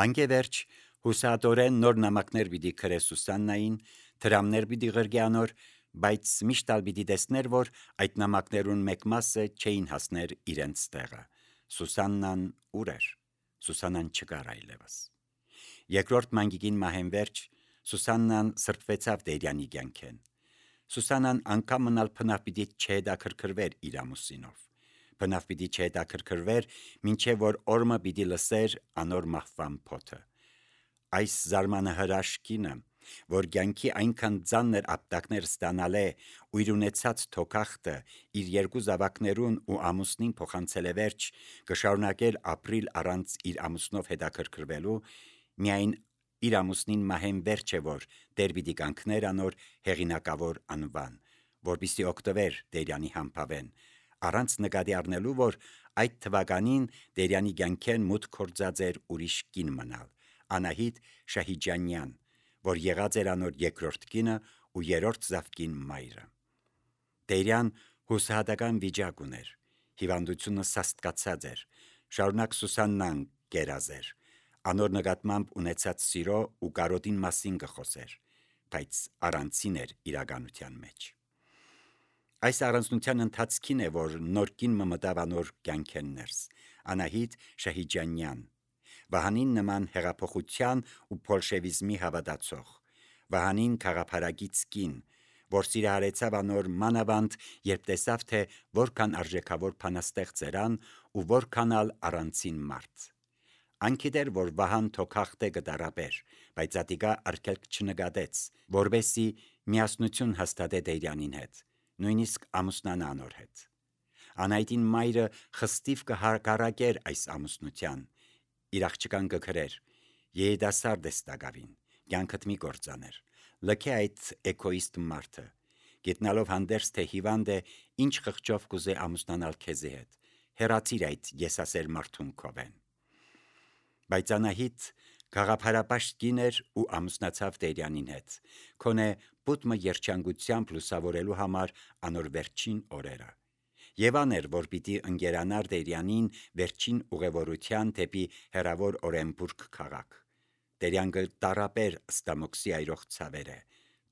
Անգևերջ հուսադորեն նոր նամակներ պիտի քրե Սուսաննային, դրամներ պիտի ղրգե անոր, բայց միշտ պիտի տեսներ, որ այդ նամակներուն մեկ մասը չէին հասներ իրենց տեղը։ Սուսաննան ուր էր։ Սուսաննան չկար այլևս։ Երկրորդ մանգիկին մահենվերջ Սուսաննան սրբվեցավ Տերյանի կյանքեն։ Սուսաննան անգամ մնալ փնավ պիտի չհետաքրքրվեր իր ամուսինով։ Բնավ պիտի չհետաքրքրվեր, մինչև որ օրը պիտի լսեր անոր մահվան փոթը։ Այս զարմանահրաշ կինը, որ կյանքի այնքան ծանր ապտակներ ստանալ է ու իր ունեցած թոքախտը իր երկու զավակներուն ու ամուսնին փոխանցել է վերջ, կշարունակեր ապրիլ առանց իր ամուսնով հետաքրքրվելու, միայն իր ամուսնին մահեն վերջ է, որ Տեր պիտի կանգներ անոր հեղինակավոր անվան, որպեսզի օգտվեր Տերյանի համբավեն, առանց նկատի առնելու, որ այդ թվականին Տերյանի կյանքեն մուտք գործած էր ուրիշ կին մնալ, Անահիտ Շահիջանյան, որ եղած էր անոր երկրորդ կինը ու երրորդ զավկին մայրը։ Տերյան հուսահատական վիճակ ուներ, հիվանդությունը սաստկացած էր, շարունակ Սուսաննան կերած էր, անոր նկատմամբ ունեցած սիրո ու կարոտին մասին կխոսեր, բայց առանցին էր իրականության մեջ։ Այս առանձնության ընթացքին է, որ նոր կին մտավ անոր կյանքեն ներս, Անահիտ Շահիջանյան, Վահանին նման հեղափոխության ու բոլշևիզմի հավատացող, Վահանին քաղաքարագից կին, որ սիրահարեցավ անոր մանավանդ, երբ տեսավ, թե որքան արժեքավոր բանաստեղծ էր ան ու որքան ալ առանցին մարդ։ Անկիդեր, որ Վահան թոքախտ է գտարաբեր, բայց ատիկա արգելք չնկատեց, որբեսի միասնություն հաստատե Տերյանին հետ, նույնիսկ ամուսնանա անոր հետ։ Անահիտին մայրը խստիվ կհակառակեր այս ամուսնության, իր աղջկան կգրեր, երիտասարդ ես տակավին, կյանքդ մի կործաներ, լքե այդ էգոիստ մարդը, գիտնալով հանդերձ, թե հիվանդ է, ինչ խղճով կուզե ամուսնանալ քեզի հետ, հեռացիր այդ եսասեր մարդուն քովեն։ Բայց Անահիտ գաղափարապաշտ կին էր ու ամուսնացավ Տերյանին հետ, քոնե պուտմը երջանկությամբ լուսավորելու համար անոր վերջին օրերը։ Եվ աներ, որ պիտի ընկերանար Տերյանին վերջին ուղևորության դեպի հեռավոր Օրենբուրգ քաղաք։ Տերյան կտարապեր Ստամոքսի այրող ցավերը,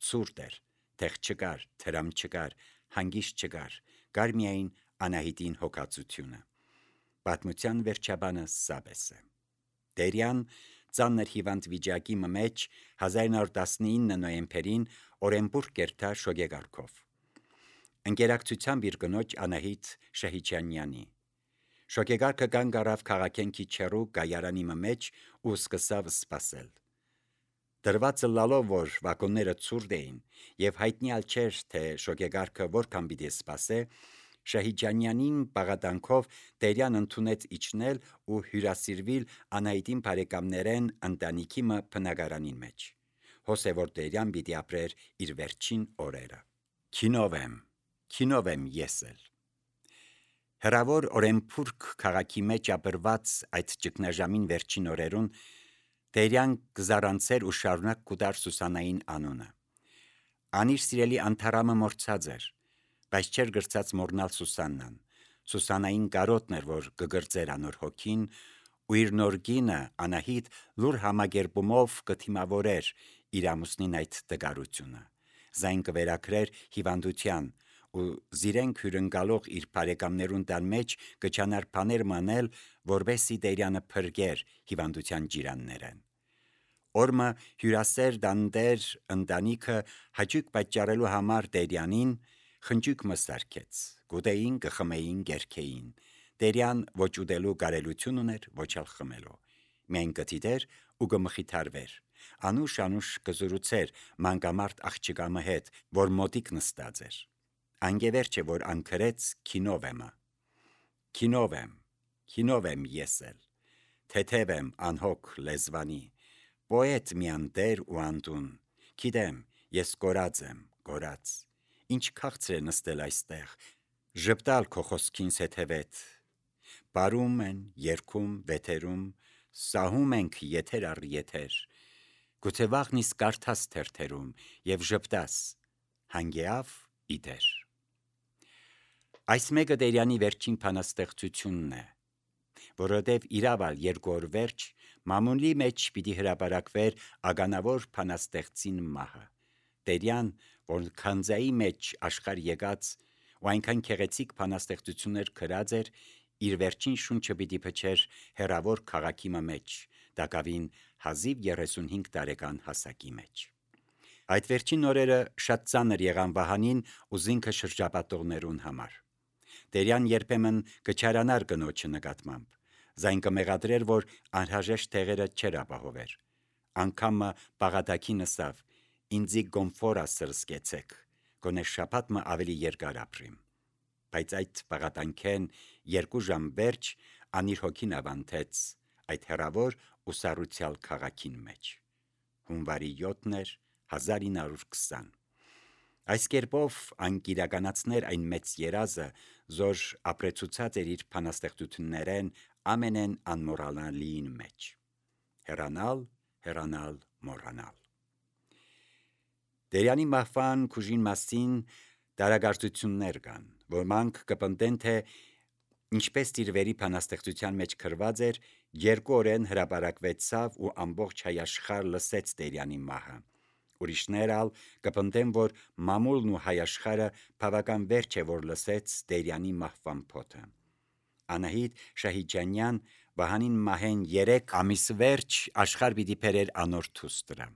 ցուրտ էր, տեղ չկար, թրամ չկար, հանգիստ չկար, կար միայն Անահիտին հոգացությունը։ Պատմության վերջաբանը սաբես է։ Տերյան ծանր հիվանդ վիճակի մեջ 1919 նոյեմբերին Օրենբուրգ կերտա շոգեգարքով։ Ընկերակցությամբ իր կնոջ Անահիտ Շահիջանյանի։ Շոգեգարքը կանգ առավ քաղաքեն քիչ հեռու գայարանի մեջ ու սկսավ սպասել։ Դրվածը լալով, որ վագոնները ցուրտ էին եւ հայտնյալ չէր, թե շոգեգարքը որքան պիտի սպասե, Շահիջանյանին բաղատանքով Տերյան ընդունեց իջնել ու հյուրասիրվել Անահիտին բարեկամներեն ընտանիքի բնակարանին մեջ։ Հոսե որ Տերյան պիտի ապրեր իր վերջին օրերը։ Քինով եմ ես էլ։ Հրավոր Օրենբուրգ քաղաքի մեջ ապրված այդ ճգնաժամին վերջին օրերուն Տերյան կզարանցեր ու շարունակ կուտար Սուսաննային անունը։ Անիր սիրելի անթարամը մորցած էր, բայց չէր գրծած մորնալ Սուսաննան։ Սուսաննային կարոտն էր, որ կգրծեր անոր հոգին, ու իր նոր կինը Անահիտ լուր համագերբումով կթիմավորեր իր ամուսնին այդ տգարությունը։ Զայն կվերակրեր հիվանդության ու զիրենք հյուրընկալող իր բարեկամներուն տան մեջ կչանար բաներ մանել, որբեսի Տերյանը փրկեր հիվանդության ջիրաններեն։ Օրմը հյուրասեր դանդեր ընտանիքը հաճույք պատճառելու համար Տերյանին խնջույք մսարկեց, գուտեին, կխմեին, գերքեին։ Տերյան ոչ ուտելու կարելություն ուներ, ոչ ալ խմելու։ Միայն կթիթեր ու կմխիթարվեր։ Անուշ կզրուցեր մանկամարտ աղջկամը հետ, որ մոտիկ նստած էր։ Անգևերջ է, որ անկրեց քինով եմ ես էլ, թեթև եմ անհոգ լեզվանի, պոետ միանտեր ու անդուն, գիտեմ, ես կորած եմ, կորած, ինչ քաղցր է նստել այստեղ, ժպտալ քո խոսքին սեթևետ, բարում են, երգում, վեթերում, սահում ենք եթեր առ եթեր, գուցե վաղն իսկ կարդաս թերթերում և ժպտաս, հանգեավ իդեր։ Այս մեկը Տերյանի վերջին բանաստեղծությունն է, որովհետև իրավալ երկու օր վերջ Մամուլի մեջ պիտի հրապարակվեր ագանավոր փանաստեղծին մահը։ Տերյան, որ քանձայի մեջ աշխարհ եկած ու այնքան քեղեցիկ փանաստեղծություններ գրած էր, իր վերջին շունչը պիտի փչեր հերավոր քաղաքի մեջ, դակավին հազիվ 35 տարեկան հասակի մեջ։ Այդ վերջին օրերը շատ ծանր եղան Վահանին ու զինքը շրջապատողներուն համար։ Տերյան երբեմն կչարանար կնոջը նկատմամբ, զայն կմեղադրեր, որ անհրաժեշտ տեղերը չեր ապահովեր։ Անգամը բաղատակի նսավ, ինձի գոմֆորա սրսկեցեք, գոնե շաբաթը ավելի երկար ապրիմ։ Բայց այդ բաղատանքեն 2 ժամ վերջ անիր հոգին ավանթեց այդ հեռավոր ու սառուցյալ քաղաքին մեջ։ Հունվարի 7-ն էր 1920։ Այս կերպով անկիրականացներ այն մեծ երազը, որ ապրեցուցած էր իր փանաստեղծություններեն ամենեն անմոռանալիին մեջ։ Հեռանալ, հեռանալ, մոռանալ։ Տերյանի մահվան կուժին մասին տարագործություններ կան, ոմանք կպնդեն, թե ինչպես իր վերի փանաստեղծության մեջ գրված էր, 2 օրեն հրապարակվեցավ ու ամբողջ հայաշխարհ լսեց Տերյանի մահը։ Ուրիշներ ալ կպնդեն, որ մամուլն ու հայաշխարհը բավական վերջ է, որ լսեց Տերյանի մահվան փոթը։ Անահիտ Շահիջանյան Վահանին մահեն 3 ամիս վերջ աշխարհ պիտի բերեր անոր թուստրա։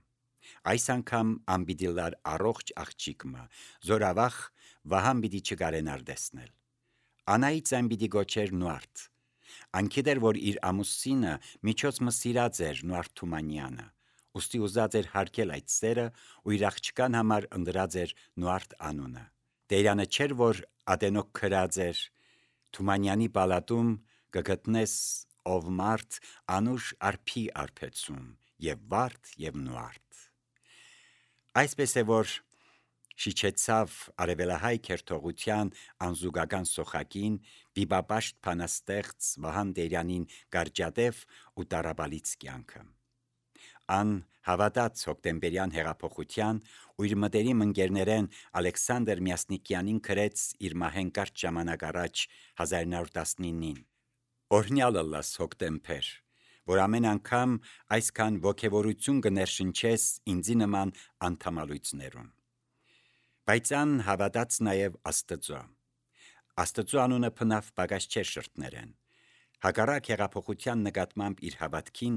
Այս անգամ անպիտի լար առողջ աղջիկը, զորավախ Վահան պիտի չկարենար տեսնել։ Անահիտ այն պիտի գոչեր Նուարդ։ Անկիդեր, որ իր ամուսինը միջոց սիրած էր Նուարդ Թումանյանը, ուստի ուզած էր հարգել այդ սերը ու իր աղջկան համար ընտրած էր Նուարդ անունը։ Տերյանը չէր, որ ատենոք քրած էր Թումանյանի պալատում կգտնես ով մարդ անուշ արփի արփեցում, եւ վարդ եւ Նուարդ։ Այսպես է, որ շիչեցավ արևելահայ քերթողության անզուգական սոխակին բիբապաշտ փանաստեղծ Վահան Տերյանին գարջադեվ ու տարաբալից կյանքը։ Ան հավատաց հոկտեմբերյան հեղափոխության ու իր մտերիմ ընկերներեն Ալեքսանդր Մյասնիկյանին գրեց իր մահեն կարճ ժամանակ առաջ 1919-ին. Օրհնյալ ըլլաս հոկտեմբեր, որ ամեն անգամ այսքան ոգևորություն կներշնչես ինձի նման անդամալույցներուն։ Բայց ան հավատաց նաև Աստծո։ Աստծո անունը փնավ պակաս չէր շրթներեն։ Հակառակ հեղափոխության նկատմամբ իր հավատքին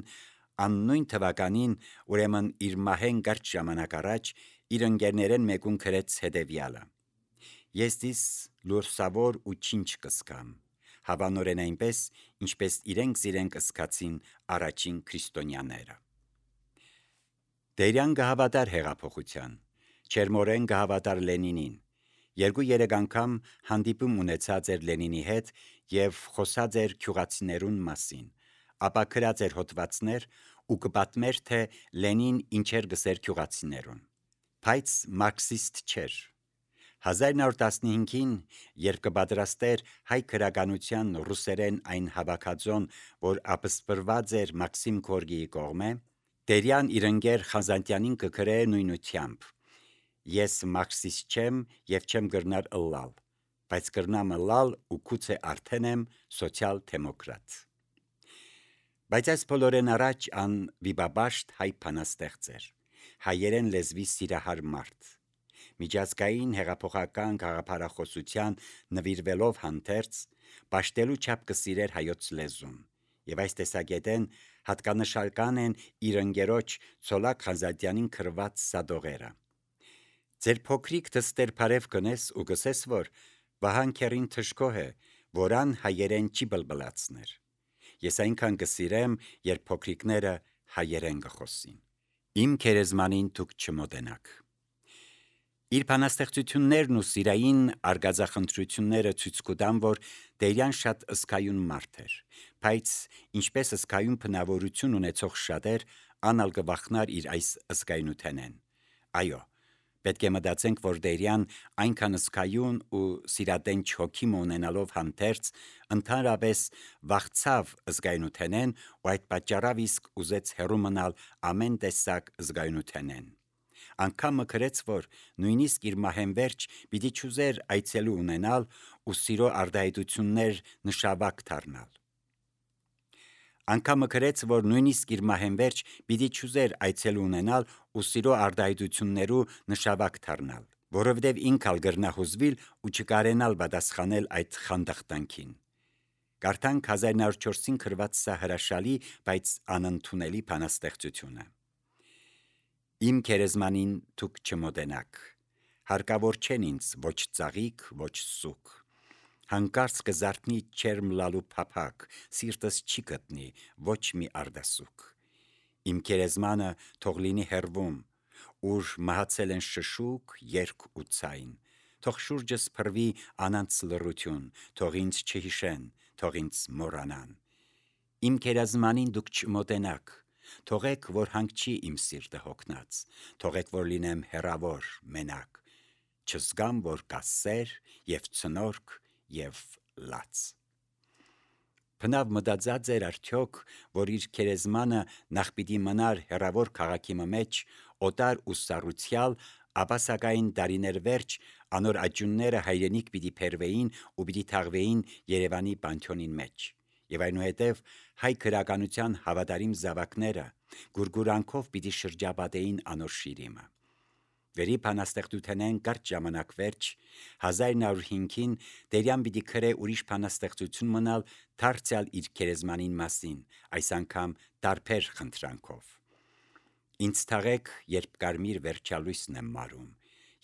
աննույն թվականին, ուրեմն իր մահեն կարճ ժամանակ առաջ, իր ընկերներեն մեկուն գրեց հետևյալը. Ես դիս լուրսավոր ու չինչ կսկամ, հավանորեն այնպես, ինչպես իրենք կսկացին առաջին քրիստոնյաները։ Տերյան կհավատար հեղափոխության, չերմորեն կհավատար Լենինին, 2-3 անգամ հանդիպում ունեցած էր Լենինի հետ և խոսած էր գյուղացիներուն մասին, ապա գրած էր հոդվածներ ու կպատմեր, թե Լենին ինչեր գսեր գյուղացիներուն, բայց մարքսիստ չէր։ 1915-ին, երբ կպատրաստեր հայ գրականության ռուսերեն այն հավաքածոն, որ ապսպրված էր Մաքսիմ Գորկիի կողմէ, Տերյան իր ընկեր Խազանտյանին կգրե նույնությամբ. Ես մարքսիստ չեմ և չեմ կրնար ըլլալ, բայց կրնամ ըլլալ ու գուցե արդեն եմ սոցիալ-դեմոկրատ։ Բայց այս բոլորեն առաջ ան վիբաբաշտ հայ փանաստեղծ էր, հայերեն լեզվի սիրահար մարդ։ Միջազգային հեղափոխական գաղափարախոսության նվիրվելով հանդերձ, պաշտելու չափ կսիրեր հայոց լեզուն, եւ այս տեսակետեն հատկանշական են իր ընկերոջ Ցոլակ Խազատյանին գրված սադողերը։ Ձեր փոքրիկ դստեր բարև կնես ու գսես, որ Վահան քերին թշկոհ է, որան հայերեն չի բլբլացներ։ Ես այնքան կսիրեմ, երբ փոքրիկները հայերեն կխոսին։ Իմ քերեզմանին դուք չմոտենաք։ Իր բանաստեղծություններն ու սիրային արգածախնդրությունները ցույց կտան, որ Տերյան շատ ըսկայուն մարդ էր, բայց ինչպես ըսկայուն բնավորություն ունեցող շատեր, անալ կվախնար իր այս ըսկայնութենեն։ Այո, պետք է մտածենք, որ Տերյան այնքան ըսկայուն ու սիրատենչ հոգի ունենալով հանդերձ, ընդհանրապես վախցավ ըսկայնութենեն ու այդ պատճառով իսկ ուզեց հեռու մնալ ամեն տեսակ ըսկայնութենեն։ Անգամ մգրեց, որ նույնիսկ իր մահեն վերջ պիտի չուզեր այցելու ունենալ ու սիրո արդահայտություններ նշավակ դառնալ։ Անկամը գրեց, որ նույնիսկ իր մահեն վերջ պիտի չուզեր այցել ունենալ ու սիրո արտահայտություններու նշավակ դառնալ, որովհետև ինքալ գրնահուզվիլ ու չկարենալ պատասխանել այդ խանդախտանքին։ Կարդանք 1904-ին գրված սա հրաշալի, բայց անընդունելի բանաստեղծությունը։ Իմ քերեզմանին դուք չմոտենաք, հարկավոր չեն ինձ ոչ ծաղիկ, ոչ սուկ, հանկարծ կզարթնի չերմ լալու փափակ, սիրտս չի գտնի ոչ մի արդասուկ։ Իմ քերեզմանը թող լինի հեռվում, ուր մահացել են շշուկ, երգ ու ցայն, թող շուրջս փռվի անանց լռություն, թող ինձ չհիշեն, թող ինձ մոռանան։ Իմ քերեզմանին դուք չմոտենաք, թողեք, որ հանգչի իմ սիրտը հոգնած, թողեք, որ լինեմ հեռավոր, մենակ, չզգամ, որ կա սեր և ցնորք և լաց։ Բնավ մտածած էր արդյոք, որ իր քերեզմանը նախ պիտի մնար հեռավոր քաղաքի մեջ, օտար ու սառուցյալ, ապա սակայն դարիներ վերջ անոր աճյունները հայրենիք պիտի փերվեին ու պիտի թաղվեին Երևանի պանթեոնին մեջ, եւ այնուհետև հայ գրականության հավատարիմ զավակները գուրգուրանքով պիտի շրջապատեին անոր շիրիմը։ Վերի բանաստեղծութենեն կարճ ժամանակ վերջ 1905-ին Տերյան պիտի գրե ուրիշ բանաստեղծություն մնալ դարձյալ իր քերեզմանին մասին, այս անգամ տարբեր խնդրանքով։ Ինձ թաղեք, երբ կարմիր վերջալույսն եմ մարում,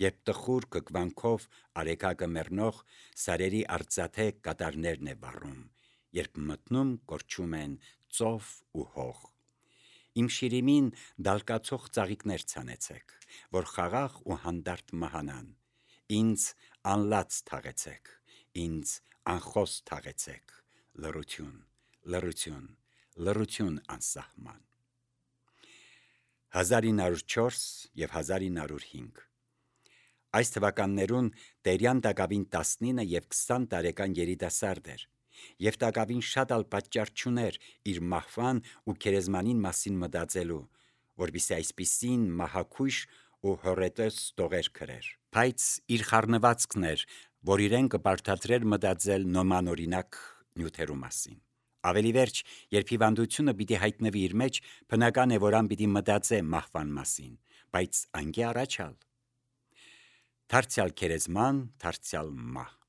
երբ տխուր կկվանքով արեգակը մեռնող սարերի արծաթե կատարներն է վառում, երբ մտնում կորչում են ծով ու հող։ Իմ շիրիմին դալկացող ծաղիկներ ցանեցեք, որ խաղաղ ու հանդարտ մահանան, ինձ անլաց թաղեցեք, ինձ անխոս թաղեցեք, լռություն, լռություն, լռություն անսահման։ 1904 և 1905 Այս թվականներուն Տերյան տակավին 19 և 20 տարեկան երիտասարդ էր, և տակավին շատ ալ պատճառ չուներ իր մահվան ու քերեզմանին մասին մտածելու, որպեսզի այսպիսին մահաքույժ ու հոռետոս տողեր գրեր, բայց իր խառնվածքն էր, որ իրեն կպարտադրեր մտածել նոմանօրինակ նյութերու մասին։ Ավելի վերջ, երբ հիվանդությունը պիտի հայտնվի իր մեջ, բնական է, որ ան պիտի մտածե մահվան մասին, բայց անգե առաջալ։ Դարձյալ քերեզման, դարձյալ մահ։